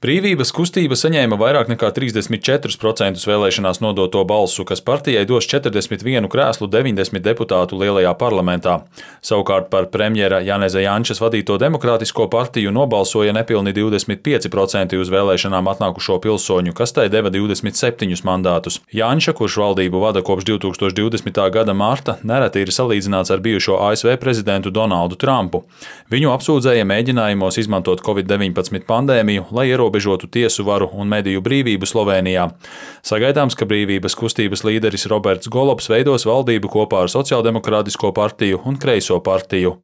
Brīvības kustība saņēma vairāk nekā 34% vēlēšanās nodoto balsu, kas partijai dos 41 krēslu 90 deputātu lielajā parlamentā. Savukārt par premjera Janeza Jančas vadīto Demokrātisko partiju nobalsoja nepilni 25% uz vēlēšanām atnākušo pilsoņu, kas tai deva 27 mandātus. Janča, kurš valdību vada kopš 2020. gada marta, nereti ir salīdzināts ar bijušo ASV prezidentu Donaldu Trumpu. Viņu apsūdzēja mēģinājumos izmantot Covid-19 pandēmiju, lai ierobežotu tiesu varu un mediju brīvību Slovenijā. Sagaidāms, ka brīvības kustības līderis Roberts Golobs veidos valdību kopā ar Sociāldemokrātisko partiju un Kreiso partiju.